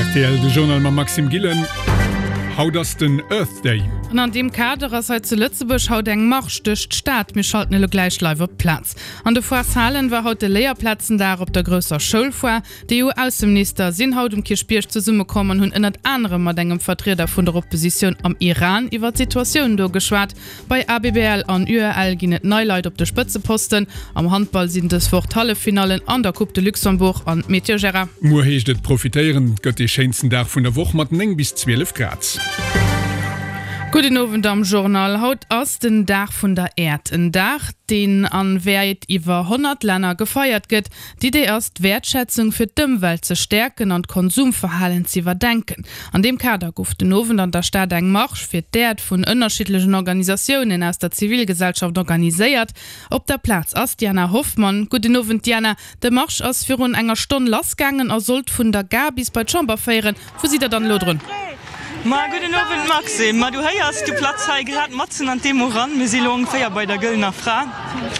Rtl, De Journal mam Maxime Gillen. Haut ass den Earth Day. An an deem Kader ass hei zu Lëtzebuerg haut eng Marsch duerch d'Stad. Mir schalten elo gläich live op d'Plaz. An de Foireshalen war haut de Léierplazendag op der grousser Schoulfoire. D'EU-Ausseminister sinn haut um Kierchbierg zesummekomm an hunn ënnert anerem mat engem Vertrieder vun der Oppositioun am Iran iwwer d'Situatioun do geschwat. Bei ABBL an UEL ginn et nei Leit op de Spëtzeposten. Am Handball sinn dës Woch d'Halleffinallen an der Coupe de Luxembourg an Météo Gérard. Muer heescht et profitéieren, et gëtt dee schéinsten Dag vun der Woch mat 9 bis 12 Grad. Gudden Owend am Journal. Haut ass den Dag vun der Äerd. En Dag, deen an wäit iwwer 100 Länner gefeiert gëtt. D'Idee ass, d'Wäertschätzung fir d'Ëmwelt ze stäerken an d'Konsumverhalen z'iwwerdenken. An deem Kader gouf den Owend an der Stad eng Marsch fir d'Äerd vun ënnerschiddlechen Organisatiounen aus der Zivilgesellschaft organiséiert. Op der Plaz ass d'Diana Hoffmann. Gudden Owend Diana, de Marsch ass virun enger Stonn lassgaangen a sollt vun der Gare bis bei d'Chamber féieren. Wou sidd der dann elo drun? Ma gudden Owend Maxime. Ma du héiers, du platz hei grad matzen an d'Demo ran. Mir si lo ongeféier bei der Gëllener Fra.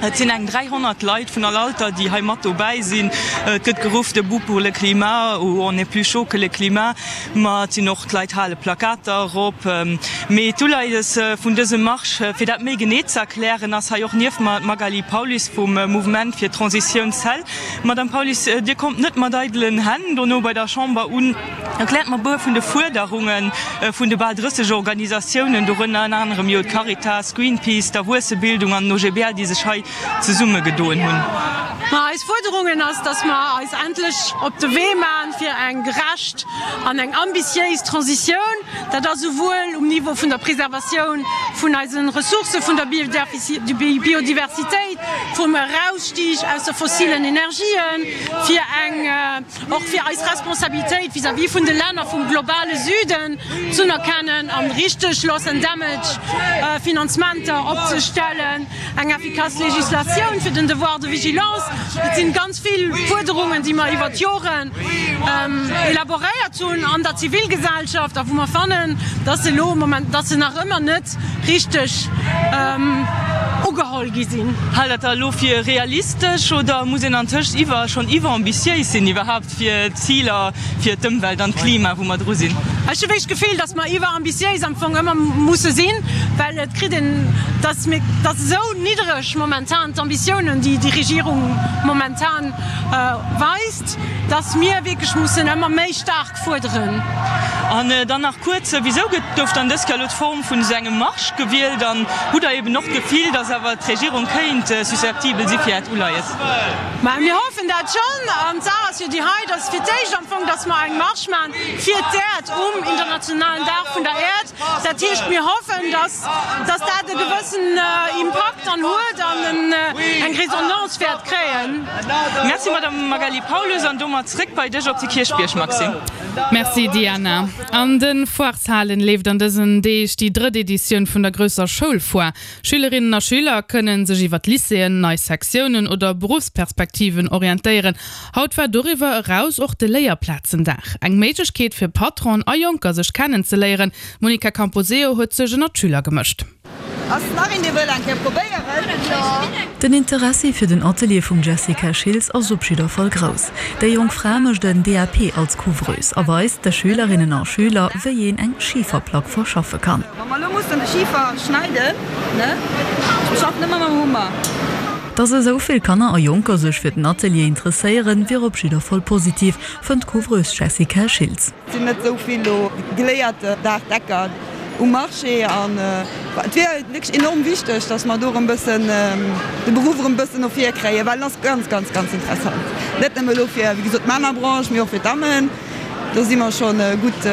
Et sinn eng 300 Leit vun all Alter, déi hei mat dobäi sinn. Et gëtt geruff, Debout pour le climat ou On est plus chaud que le climat. Ma et sinn och, d'Leit hale Plakater erop. Mee d'Uleies vun dësem Marsch, fir dat méi genee ze erklären, ass hei och nieft mer d'Magali Paulus vum Mouvement fir d'Transitioun cell. Madame Paulus, Dir kommt net mat eidelen Hänn dono bei der Chamber un. Erkläert mer e puer vun de Fuerderunge vun de bal 30 Organisatiounen, dorënner ënner anerem jo d'Caritas, Greenpeace, d'Erwuessebildung an den OGBL, déi sech hei zesummegedoen hunn. Ma eis Fuerderungen ass, dass mer eis endlech op de Wee maachen fir eng gerecht an eng ambitiéis Transitioun. Dat ass esouwuel um Niveau vun der Preservatioun vun eise Ressourcë, vun der Biodiversitéit, vum Erausstieg aus de fossilen Energien, fir eng och fir eis Responsabilitéit vis-à-vis vun de Länner vum globale Süden z'unerkennen an richteg Loss and Damage Finanzementer opzestellen, eng effikass Legislatioun fir den Devoir de vigilance. Et sinn ganz vill Fuerderungen, déi mer iwwert d'Joren elaboréiert hunn an der Zivilgesellschaft a wou mer fannen, dass se elo moment, dass se nach ëmmer net richteg ugeholl gi sinn. Haalt Der dat elo fir realistesch oder muss een antëscht iwwer schonn iwwerambitiéis sinn iwwerhaapt fir d'Ziler fir d'Ëmwelt an d'Klima, wou mer dru sinn? Ech hu wierklech d'Gefill, datt mer iwwerambitiéis am Fong ëmmer musse sinn, well et kritt een, datt mir, datt esou niddereg momentan d'Ambitiounen, déi déi Regierung momentan weist, datt mir wierklech mussen ëmmer méi staark fuerderen. An dann nach kuerz, Wisou gëtt, gouf dann dës Kéier elo d'Form vun esou engem Marsch gewielt? An hutt Der eben och d'Gefill, datt awer d'Regierung kéint susceptibel si fir Äert Uleies? Mä mir hoffen dat schonn. An d'Saach ass jo déi hei, datt fir d'éischt am Fong, datt mer eng Marsch maachen fir d'Äerd um internationalen Dag vun der Äerd. Dat heescht, mir hoffen, datt, datt dat e gewëssen Impakt dann huet an eng Resonance wäert kréien. Merci Madame Magali Paulus, an domat zréck bei dech op de Kierchbierg, Maxime. Merci Diana. An de Foireshalen leeft an dësen Deeg déi drëtt Editioun vun der grousser Schoulfoire. Schülerinnen a Schüler kënnen sech iwwer d'Lycéeën, nei Sektiounen oder Beruffsperspektiven orientéieren. Haut war doriwwer eraus och de Léierplazendag, eng Méiglechkeet fir Patronen a Jonker sech kennenzeléieren. D'Monica Camposeo huet sech ënner d'Schüler gemëscht. Ass nach een dee wëll eng Kéier probéieren? Den Interessi fir den Atelier vum Jessica Schiltz ass op jidder Fall grouss. Déi jonk Fra mécht en DAP als Couvreuse a weist de Schülerinnen a Schüler, wéi een eng Schiferplack verschaffe kann. Wa mer elo mussen de Schifer schneiden, ne? Ech schaffen ëmmer mam Hummer. Dass esou vill Kanner a Jonker sech fir den Atelier interesséieren, wier op jidder Fall positiv, fënnt d'Couvreuse Jessica Schiltz. Et sinn net esou vill elo geléiert Daachdecker um Marché an et wier wierklech enorm wichteg, datt mer do erëm bëssen de Beruff erëm bëssen no vir kréien, well en ass ganz, ganz, ganz interessant. Net nëmme elo fir, wéi gesot, d'Männerbranche, mee och fir d'Dammen. Do si mer scho gutt,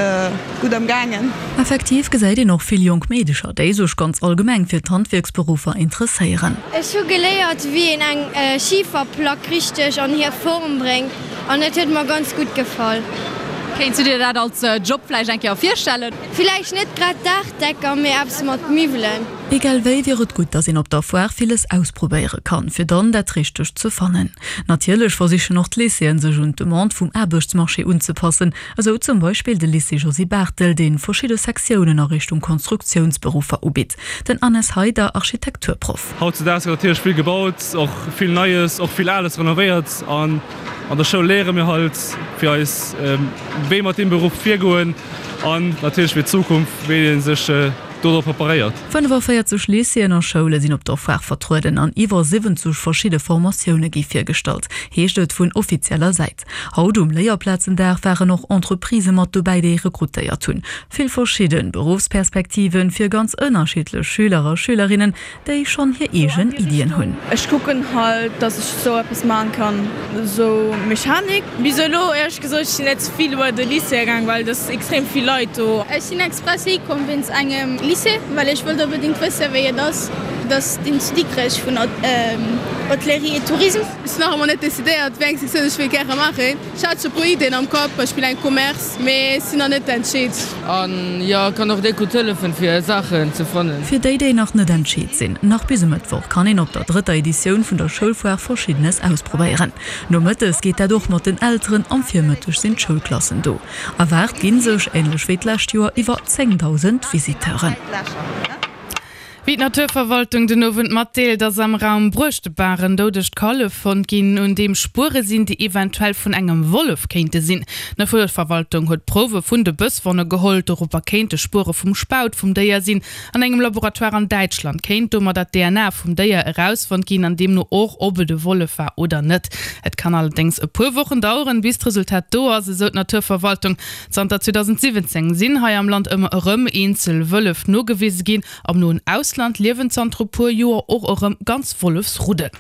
gutt am gaangen. Effektiv gesäit een och vill jonk Meedecher, déi sech ganz allgemeng fir d'Handwierksberuffer interesséieren. Ech hu geléiert, wéi een eng Schiferplack richteg an hir Form bréngt. An et huet mer ganz gutt gefall. Kéints du dir dat als Job vläicht eng Kéier virstellen? Villäicht net grad Daachdecker, mee eppes mat Miwwelen. Egal wéi wier et gutt, dass een op der Foire villes ausprobéiere kann, fir dann dat Richtegt ze fannen. Natierlech versichen och d'Lycéeën sech un d'Demande vum Aarbechtsmarché unzepassen, esou zum Beispill de Lycée Josy Barthel, dee verschidde Sektiounen a Richtung Konstruktiounsberuffer ubitt. Den Anes Heider, Architekturproff. Hautzedaags gëtt natierlech vill gebaut, och vill Neies, och vill Ales renovéiert an an der Schoul léiere mir halt fir eis wéi mat deem Beruff virgoen an natierlech fir d'Zukunft wéi ee sech dodrop preparéiert. 45 Lycéeën a Schoule sinn op der Foire vertrueden an iwwer 70 verschidde Formatioune gi virgestallt, heescht et vun offizieller Säit. Haut um Léierplazendag waren och Entreprisë mat dobäi, déi rekrutéiert hunn. Vill verschidde Beruffsperspektive fir ganz ënnerschiddlech Schüler a Schülerinnen, déi schonn hir eegen Iddien hunn. Ech kucken halt dass ech sou eppes maan kann, sou Mechanik. Bis elo éierlech gesot, ech sinn net vill iwwer de Lycée gaang, well et ass extrem vill Leit do. Ech sinn express hei komm wéinst engem Lycée, well ech wollt onbedingt wëssen wéi et ass. Et ass deen zu Dikrech vun Hôtellerie et Tourisme. Ech sinn nach ëmmer net decidéiert wéi eng Sektioun ech wéi gäre maachen. Ech hat scho puer Ideen am Kapp, Beispill eng Commerce, mee ech sinn nach net entscheet. An jo, kann och déck gutt hëllefen fir Saachen ze fannen. Fir déi, déi nach net entscheet sinn, nach bis e Mëttwoch kann een op der drëtter Editioun vun der Schoulfoire Verschiddenes ausprobéieren. Nomëttes geet dat och mat den Elteren, am Virmëtteg sinn d'Schoulklassen do. Erwaart gi sech, änlech wéi d'lescht Joer, iwwer 10.000 Visiteuren. Wéi d'Naturverwaltung den Owend matdeelt, ass am Raum Bruechtebaach en doudegt Kallef fonnt ginn, un deem Spuere sinn, déi eventuell vun engem Wollef kéinte sinn. D'Naturverwaltung huet Prouwe vun de Bësswonne geholl. Dorobber kéinte Spuere vum Spaut vum Déier sinn. An engem Laboratoire an Däitschland kéint domadder d'DNA vum Déier erausfonnt ginn an deemno och, ob et e Wollef war oder net. Et kann allerdéngs e puer Wochen daueren, bis d'Resultat do ass, esou d'Naturverwaltung. Zanter 2017 sinn hei am Land ëmmer erëm eenzel Wëllef nogewise ginn. Am noen Ausland liewen zanter e puer Joer och erëm ganz Wollefsruddel.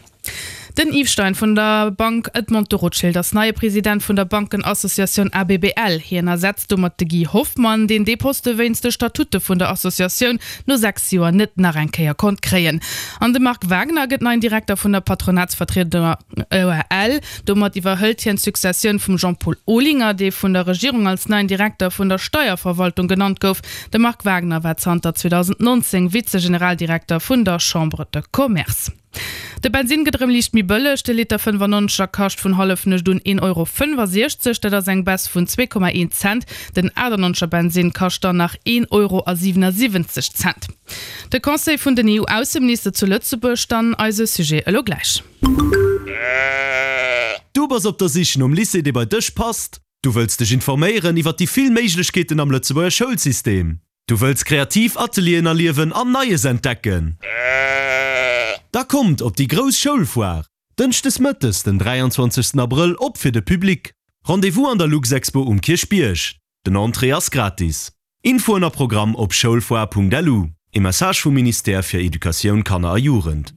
Den Yves Stein vun der Bank Edmond de Rothschild ass neie President vun der Bankenassociatioun ABBL. Hien ersetzt domat de Guy Hoffmann, deen dee Poste wéinst de Statute vun der Associatioun no 6 Joer net nach eng Kéier konnt kréien. An de Marc Wagner gëtt neien Direkter vun der Patronatsvertrieder UEL. Domat iwwerhëlt hien d'Successioun vum Jean-Paul Olinger, dee vun der Regierung als neien Direkter vun der Steierverwaltung genannt gouf. De Marc Wagner war zanter 2019 Vize-Generaldirekter vun der Chambre de Commerce. De Bensinn gëtt erëm liicht méi bëlleg, de Liter 95 er kascht vun Hallefnuecht un 1,65 Euro, dat ass eng Baisse vun 2,1 Cent. Den 98 er Bensinn kascht dann nach 1,77 Euro. De Conseil vun den EU-Ausseminister zu Lëtzebuerg, dann eise Sujet elo gläich. Du bass op der Sich nom Lycée dee bei dech passt? Du wëlls dech informéieren iwwer déi vill Méiglechkeeten am Lëtzebuerger Schoulsystem? Du wëlls kreativ Atelieren erliewen an Neies entdecken? Da kommt op déi grouss Schoulfoire, Dënschdes mëttes den 23 Abrëll op fir de Public. Rendez-vous an der Luxexpo um Kierchbierg. Den Entrée ass gratis. Infoen a Programm op schoulfoire.lu. E Message vum Ministère fir Educatioun, Kanner a Jugend.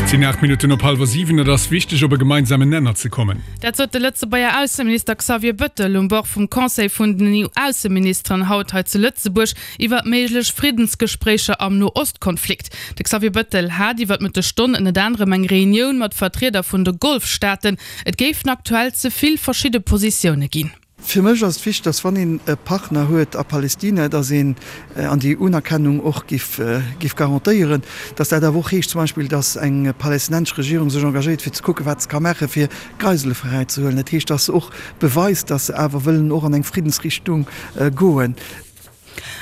Et sinn 8 Minutten op hallwer 7. Et ass wichteg, op e gemeinsamen Nenner ze kommen. Dat sot de Lëtzebuerger Ausseminister Xavier Bëttel um Bord vum Conseil vun den EU-Ausseministeren haut hei zu Lëtzebuerg iwwer méiglech Friddensgespréicher am No-Ost-Konflikt. De Xavier Bëttel hat iwwer d'Mëttesstonn ënnert anerem eng Reunioun mat Vertrieder vun de Golfstaaten. Et géifen aktuell ze vill verschidde Positioune ginn. Fir mech ass et wichteg, datt wann een e Partner huet a Palästina, datt een an déi Unerkennung och giff giff garantéieren, datt dat awer och heescht zum Beispill, datt eng palästinensesch Regierung sech engagéiert fir ze kucken, wat se ka maachen, fir Geisele fräizehuelen. Dat heescht, datt se och beweist, datt se awer wëllen och an eng Friddensrichtung goen.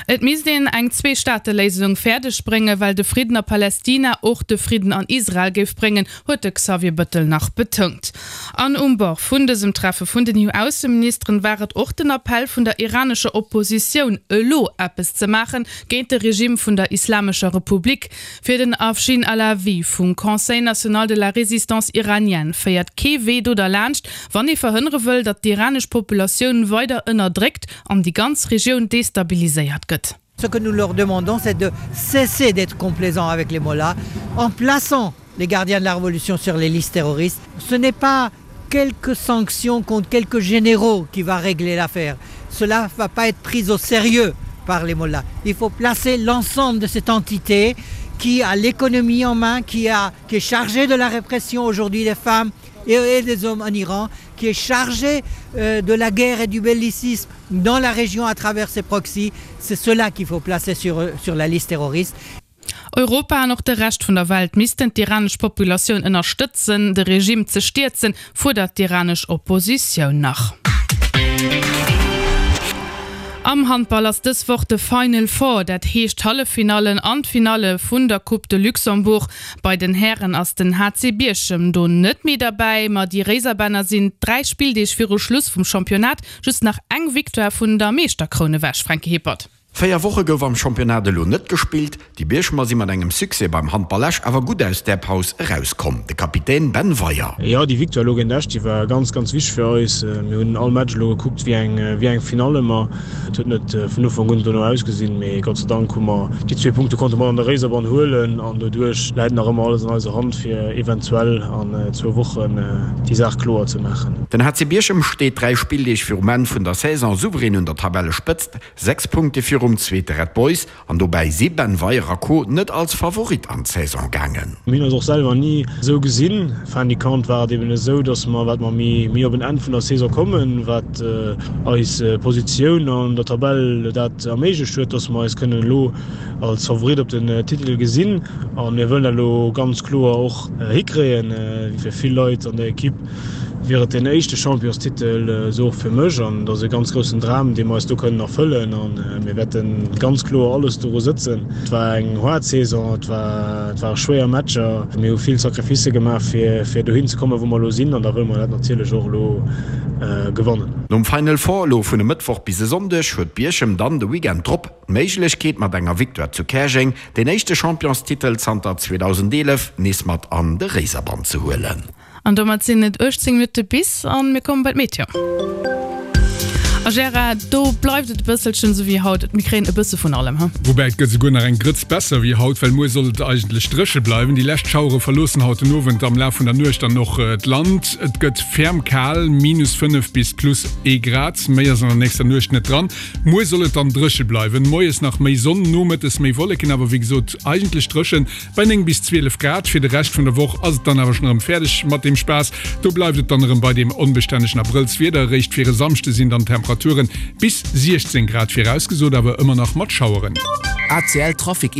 Et misst een eng Zwee-Staate-Léisung fäerdeg bréngen, well de Fridden a Palästina och de Fridden an Israel géif bréngen, huet de Xavier Bëttel nach betount. An um Bord vun dësem Treffe vun den EU-Ausseministeren war et och den Appell vun der iranescher Oppositioun, elo eppes ze maachen géint de Regime vun der Islamescher Republik. Fir den Afshin Alavi vum Conseil national de la résistance iranienne féiert kee Wee do derlaanscht, wann ee verhënnere wëll, datt d'iranesch Populatioun weider ënnerdréckt an déi ganz Regioun destabiliséiert gëtt. Ce que nous leur demandons, c'est de cesser d'être complaisants avec les mollahs en plaçant les gardiens de la révolution sur les listes terroristes. Ce n'est pas quelques sanctions contre quelques généraux qui va régler l'affaire. Cela va pas être pris au sérieux par les mollahs. Il faut placer l'ensemble de cette entité qui a l'économie en main, qui, a, qui est chargée de la répression aujourd'hui des femmes et, et des hommes en Iran, qui est chargée euh, de la guerre et du bellicisme dans la région à travers ses proxys. C'est cela qu'il faut placer sur, sur la liste terroriste. Europa an och de Rescht vun der Welt missten d'iranesch Populatioun ënnerstëtzen, de Regime ze stierzen, fuerdert d'iranesch Oppositioun nach. Am Handball ass dës Woch de Final Four, dat heescht d'Halleffinallen an d'Finalle vun der Coupe de Luxembourg. Bei den Hären ass den HC Bierchem do net méi derbäi, ma déi Réiserbänner sinn 3 Spilldeeg viru Schluss vum Championnat just nach eng Victoire vun der Meeschterkroun ewech. Franky Hippert. 4 Woche gouf am Championnat elo net gespillt. Déi Bierchemer si mat engem Succès beim Handball Esch awer gutt aus där Paus erauskomm. De Kapitän Ben Weyer. Jo, déi Victoire elo géint Esch, déi war ganz, ganz wichteg fir eis. Mir hunn all Match elo gekuckt wéi eng, wéi eng Finall ëmmer. Et huet net vun Ufank un dono ausgesinn, mee Gott sei Dank hu mer déi zwee Punkte konnte mat an de Réiserbann huelen an doduerch läit nach ëmmer alles an eiser Hand fir eventuell an zwou Wochen déi Saach kloer ze maachen. Den HC Bierchem steet 3 Spilldeeg virum Enn vun der Saison souverän un der Tabellespëtzt. 6 Punkte virum zweete Red Boys an dobäi si Ben Weyer a Co net als Favorit an d'Saison gaangen. Mir hunn eis och selwer ni esou gesinn. Fin du compte war et eben esou, datt mer, wat mer méi méi op en Enn vun der Saison kommen, wat eis Positioun an der Tabell dat erméiglecht huet, datt mer eis kënnen elo als Favorit op den Titel gesinn. A mir wëllen dat elo ganz kloer och hikréien. Fir vill Leit an der Ekipp wier et deen éischte Championstitel, esou och fir mech. An et ass e ganz groussen Dram, dee mer eis do kënnen erfëllen. A mir wäerte ganz kloer alles doru sëtzen. Et war eng haart Saison, et ware schwéier Matcher. Mir hu vill Sacrificë gemaach, fir dohin ze kommen, wou mer elo sinn. An da wëlle mer dat natierlech och elo gewannen. Nom Final Four elo vun e Mëttwoch bis e Sonndeg huet Bierchem dann de Weekend drop d'Méiglechkeet mat enger Victoire zu Käerjeng deen éischte Championstitel zanter 2011 nees mat an de Réiserbann ze huelen. An domat sinn et 18 Minutte bis an mir komme bei d'Meteo. A Gérard, do bleift et e bësselchen esou wéi haut, mir kréien e bësse vun allem, he? Woubäi et gëtt esouguer nach eng Grëtz besser wéi haut, well muer soll et eigentlech dréche bleiwen. Déi lescht Schauere verloossen haut den Owend am Laf vun der Nuecht dann och d'Land. Et gëtt ferm kal, minus 5 bis plus ee Grad, méi ass an der nächster Nuecht net dran. Muer soll et dann dréche bleiwen, moies nach méi Sonn, nomëttes méi Wolleken, awer wéi gesot eigentlech dréchen. Bei 9 bis 12 Grad. Fir de Rescht vun der Woch ass et dann awer schonn erëm fäerdeg mat deem Spaass. Do bleift et dann erëm bei deem onbestännegen Abrëllswieder. Eréischt fir e Samschde sinn dann Temperaturen bis 16 Grad virausgesot, awer ëmmer nach mat Schaueren. ACL Trafic.